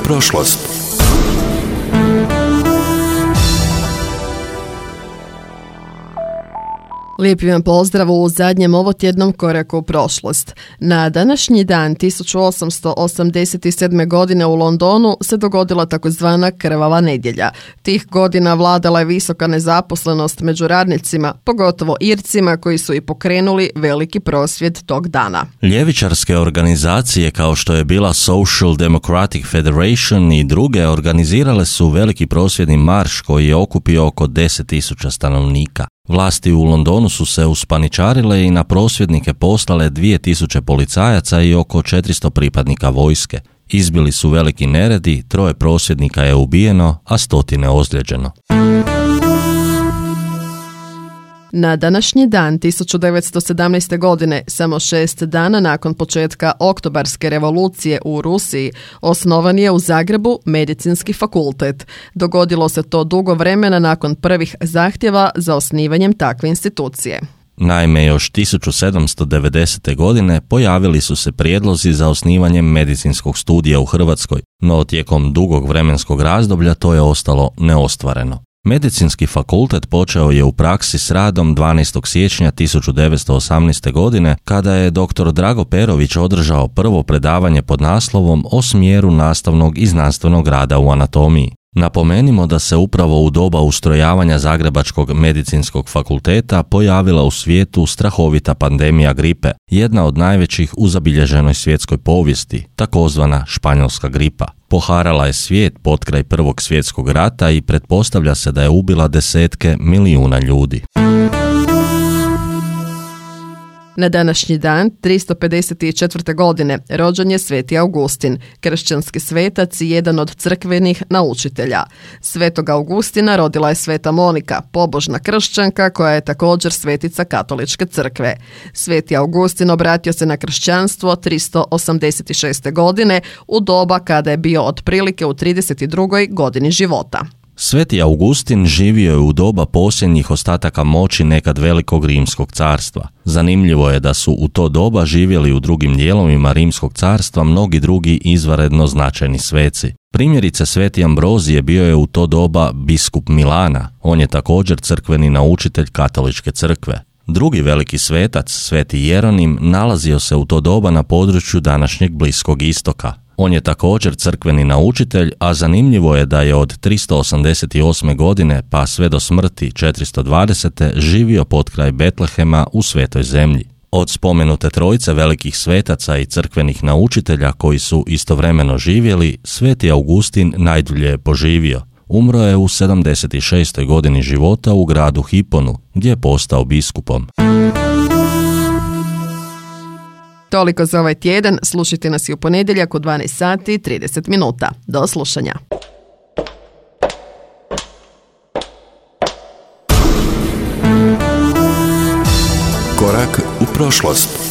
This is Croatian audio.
prošlost. Lijepi vam pozdrav u zadnjem ovotjednom koraku u prošlost. Na današnji dan 1887. godine u Londonu se dogodila takozvana krvava nedjelja. Tih godina vladala je visoka nezaposlenost među radnicima, pogotovo Ircima koji su i pokrenuli veliki prosvjed tog dana. Ljevičarske organizacije kao što je bila Social Democratic Federation i druge organizirale su veliki prosvjedni marš koji je okupio oko 10.000 stanovnika. Vlasti u Londonu su se uspaničarile i na prosvjednike poslale 2000 policajaca i oko 400 pripadnika vojske. Izbili su veliki neredi, 3 prosvjednika je ubijeno, a 100 ozlijeđeno. Na današnji dan 1917. godine, samo 6 dana nakon početka Oktobarske revolucije u Rusiji, osnovan je u Zagrebu Medicinski fakultet. Dogodilo se to dugo vremena nakon prvih zahtjeva za osnivanjem takve institucije. Naime, još 1790. godine pojavili su se prijedlozi za osnivanjem medicinskog studija u Hrvatskoj, no tijekom dugog vremenskog razdoblja to je ostalo neostvareno. Medicinski fakultet počeo je u praksi s radom 12. siječnja 1918. godine kada je dr. Drago Perović održao prvo predavanje pod naslovom o smjeru nastavnog i znanstvenog rada u anatomiji. Napomenimo da se upravo u doba ustrojavanja Zagrebačkog medicinskog fakulteta pojavila u svijetu strahovita pandemija gripe, jedna od najvećih u zabilježenoj svjetskoj povijesti, takozvana španjolska gripa. Poharala je svijet potkraj Prvog svjetskog rata i pretpostavlja se da je ubila desetke milijuna ljudi. Na današnji dan, 354. godine, rođen je Sveti Augustin, kršćanski svetac i jedan od crkvenih naučitelja. Svetog Augustina rodila je Sveta Monika, pobožna kršćanka koja je također svetica katoličke crkve. Sveti Augustin obratio se na kršćanstvo 386. godine u doba kada je bio otprilike u 32. godini života. Sveti Augustin živio je u doba posljednjih ostataka moći nekad velikog rimskog carstva. Zanimljivo je da su u to doba živjeli u drugim dijelovima rimskog carstva mnogi drugi izvanredno značajni sveci. Primjerice, Sveti Ambrozije bio je u to doba biskup Milana, on je također crkveni naučitelj katoličke crkve. Drugi veliki svetac, Sveti Jeronim, nalazio se u to doba na području današnjeg Bliskog istoka. On je također crkveni naučitelj, a zanimljivo je da je od 388. godine pa sve do smrti 420. živio potkraj Betlehema u Svetoj zemlji. Od spomenute trojice velikih svetaca i crkvenih naučitelja koji su istovremeno živjeli, Sveti Augustin najdulje je poživio. Umro je u 76. godini života u gradu Hiponu, gdje je postao biskupom. Toliko za ovaj tjedan, slušajte nas i u ponedjeljak u 12 sati i 30 minuta. Do slušanja. Korak u prošlost.